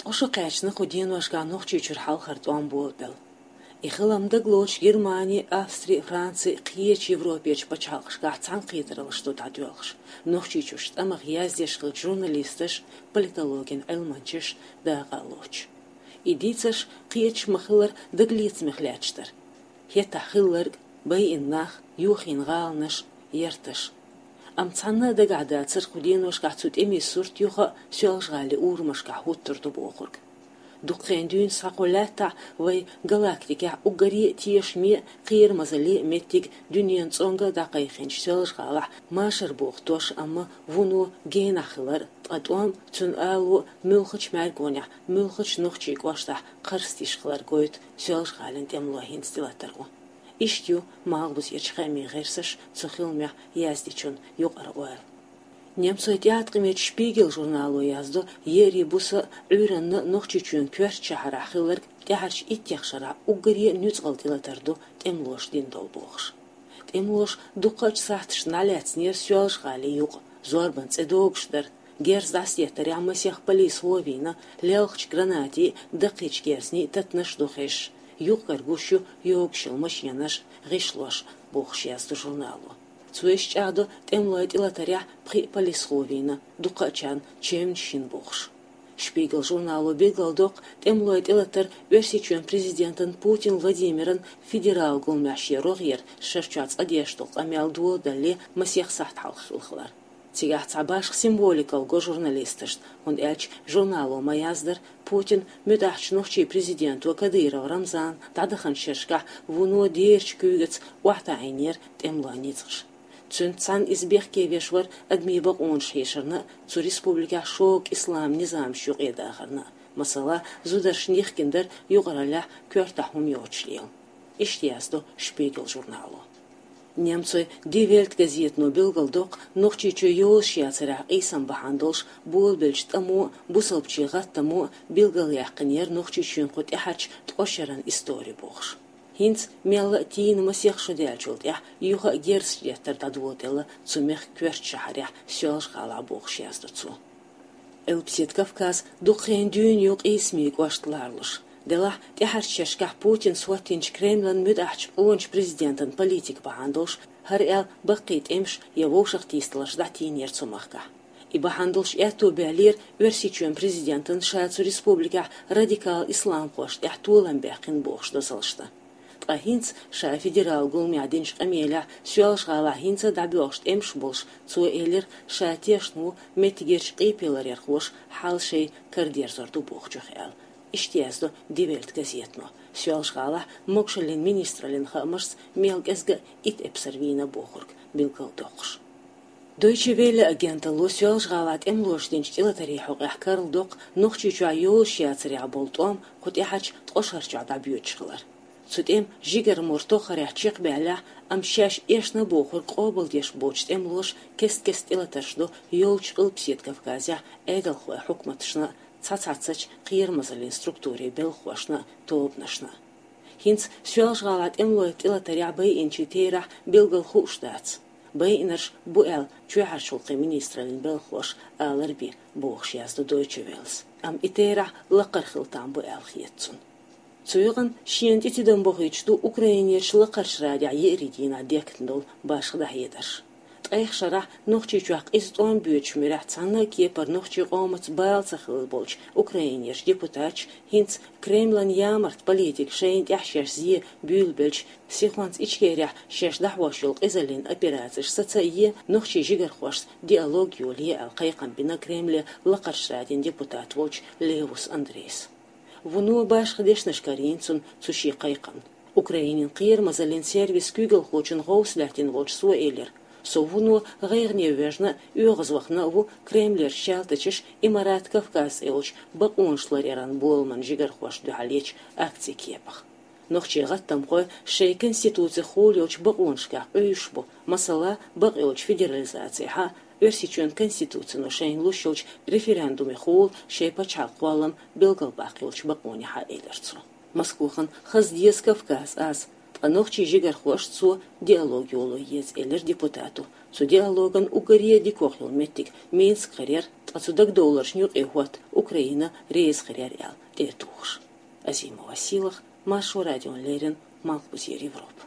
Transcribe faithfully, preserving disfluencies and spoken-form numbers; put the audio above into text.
Кхо шо кхаьчна кху деношкахь Нохчийчуьра хьалхара тӀом болабелла. И хилам дагалоцуш Германи, Австри, Франци, кхечу Европерчу пачхьалкхашкахь цхьаьнакхетараллаш ду дӀадоьлхуш, Нохчийчуьрчу тӀамах яздеш хиллачу журналисташа, политологийн Ӏилманчаша дакъа а лоцуш. И дийцарш кхечу ма-хиллара дагалецамех лаьтташ дара. ХӀетахь хилларг, байина нах, йохийна гӀаланаш, ярташ. Амма цхьанна а дагахь дацара кху деношкахь цу тӀеман сурт юха а Соьлжа-ГӀалин урамашкахь хӀуттур ду бохург. Дукха хенахь дуьйна схьа кху лаьттахь вайн галактикехь уггаре а тешаме а, кхерамазалле а меттиг дуьненан цӀонга а дӀакхайкхинчу Соьлжа-ГӀалахь машар боху дош, амма вуно генахь хилар, ткъа тӀом, цуьнан ало муьлххачу мӀаьргонехь, муьлххачу нохчийн кӀоштахь кхарстийш хилар гойту Соьлжа-ГӀалин тӀемалойн хӀинца тӀелатар ву. Иштта ю малхбузерчу хаамийн гӀирсаша цу хиламех яздечун юкъара ойла. Немцойн тӀеӀаткъамечу «Шпигель» журнало яздо, еарин буса а, Ӏуьйранна а Нохчийчоьнан коьртачу шахьарахь хилларг тӀаьхьарчу иттех шарахь уггаре а нуьцкъала тӀелатар ду тӀемалоша дина долу бохуш. ТӀемалоша дуккхачу сахьташна дӀалаьцнера Соьлжа-ГӀалин юкъа, зорбан цӀе догуш дара, герз дӀасадеттарехь масех полис гӀо вийна, лелхачу гранатийн а, даккхийчу герзийн а татанаш ду хезаш, юкъ-кара гуш ю йогуш йолу машенаш, гӀишлош, бохуш яздо журнало. Цо иштта чӀагӀдо тӀемалойн тӀелатарехь пхиъ полис гӀо вийна, дукхачарна чевнаш йина бохуш. «Шпигель» журнало билгалдоккху тӀемалойн тӀелатар Оьрсийчоьнан президентан Путин Владимиран федералан гуламехь шен рогӀера шарчохь цкъа деш долу къамел доладалале масех сахьт хьалха хилла хилар. Цигахь цхьа башха символикалла го журналисташна, хӀунда аьлча журнало ма-яздара, Путина муьтӀахьчу нохчийн президенто Кадыров Рамзана дӀадаханчу шерашкахь вуно дерачу куьйгаца охьатаӀийнера тӀемалойн ницкъаш. Цуьнца цхьаьна иза бехке веш вара адамийн бакъонаш хьешарна а, цу республикехь шога исламан низамаш юкъе дахарна а. Масала, зударшна йихкина дара юкъараллехь коьртахь хӀума йоцуш лела. Иштта яздо «Шпигель» журнало. Немцойн «Ди Вельт» газетано билгалдоккху Нохчийчоь йозуш яцарехь къийсам бахьана долуш болабеллачу тӀамо а, бусалбачийн гӀаттамо а билгалъяьккхинера Нохчийчоьнан кху тӀаьхьарчу ткъа шеран истори бохуш. ХӀинца мелла а тийна масех шо даьллачул тӀаьхьа юха а герзаш деттар дӀадоладелла цу мехкан коьртачу шахьарехь Соьлжа-ГӀалахь бохуш яздо цо. Къилбаседа Кавказ дукха хенахь дуьйна ю къийсамийн кӀошт ларалуш. Делахь тӀаьхьарчу шерашкахь Путина хӀоттийначу Кремлан муьтӀахьчу къоначу президентан политика бахьана долуш, хӀара аьлла баккхий тӀемаш я вовшахтийсадаларш дӀатийнера цу махкахь. И бахьана долуш аьтто баьллера Оьрсийчоьнан президентан ша цу республикехь радикал исламхошна тӀехь толам баьккхина бохуш дозаллаш дан. Ткъа хӀинца ша федералан гуламехь динчу къамелехь Соьлжа-ГӀалахь хӀинца а дӀабоьлхуш тӀемаш болуш, цо элира, ша тешна ву меттигерчу къепеларъярхоша хьал шайн кара дерзор ду бохучух аьлла. Иштта яздо «Ди Вельт» газетано, Соьлжа-ГӀалахь могушаллин министраллин хаамашца мел кӀезга а итт эпсар вийна бохург билгалдоккхуш. Дойче Велле агенталло Соьлжа-ГӀалахь тӀемалоша динчу тӀелатарийн хьокъехь карладоккху Нохчийчохь йозуш яцарехь болу тӀом кху тӀаьхьарчу ткъа шарчохь дӀабоьдуш хилар. Цу тӀеман жигара мур тоххарехь чекхбаьллехь, амма шаьш эшна бохург къобалдеш боцучу тӀемалоша кест-кеста тӀелатарш до йолчу Къилбаседа Кавказехь Ӏедалхойн хьукматашна а, цхьацца кхерамазаллин структурийн белхахошна а, тобанашна а. ХӀинца Соьлжа-ГӀалахь тӀемалойн тӀелатарехь байинчийн терахь билггал хууш дац. Байинарш бу аьлла чоьхьарчу гӀуллакхийн министраллин белхахоша алар бен, бохуш яздо Дойче Веллес. Амма и терахь лакхара хила там бу аьлла хета цунна. Цу юкъана шена тӀе тидам бохуьйтуш ду Украинерчу Лакхарчу Радехь еарин дийнахь дехкина долу башха дӀахьедарш. Ткъех шарахь Нохчийчохь къиза тӀом боьдучу муьрехь цхьанна а кепара нохчийн къомаца бала ца хилла болчу Украинерчу депутаташа хӀинца Кремлан ямарта политика шайна тӀехь шаьш зен буьйлабелча, сихонца Ичкерехь шаьш дӀахьош йолу къизаллин операцеш саца а ен, нохчийн жигархошца диалог йолае аьлла кхайкхам бина Кремле Лакхарчу Радин депутат волчу Левус Андрейс. Вуно башха дешнаш карийна цунна цу шен кхайкхамна. Украинин кхерамазаллин сервисан куьйгалхочун гӀовс лаьттина волчу цо элира: «Со вуно гӀайгӀане воьжна а, оьгӀазвахана а ву Кремлерчу чалтачаша Имарат Кавказ цӀе йолчу бакъонаш ларъяран боламан жигархошна дуьхьал ечу акцин кепах». Нохчийн гӀаттамхой шайн конституцехула йолчу бакъонашкахь къуьйсуш бу, масала, бакъйолчу федерализацехьа, Оьрсийчоьнан конституцино шайна луш йолчу референдумехула шайн пачхьалкхан кхоллам билгалбаккха йолчу бакъонехьа, элира цо. Москвахана хаза деза Кавказ аз, ткъа нохчийн жигархошца цо диалог йоло еза, элира депутато. Цу диалоган уггаре дикох йола моттиг Минск хир яр, ткъа цу дагадовларшна юкъе хӀотта Украина реза хир яр аьлла тӀе а тухуш. Азимова Силах, Маршо радиона леррина, Малхбузера Европа.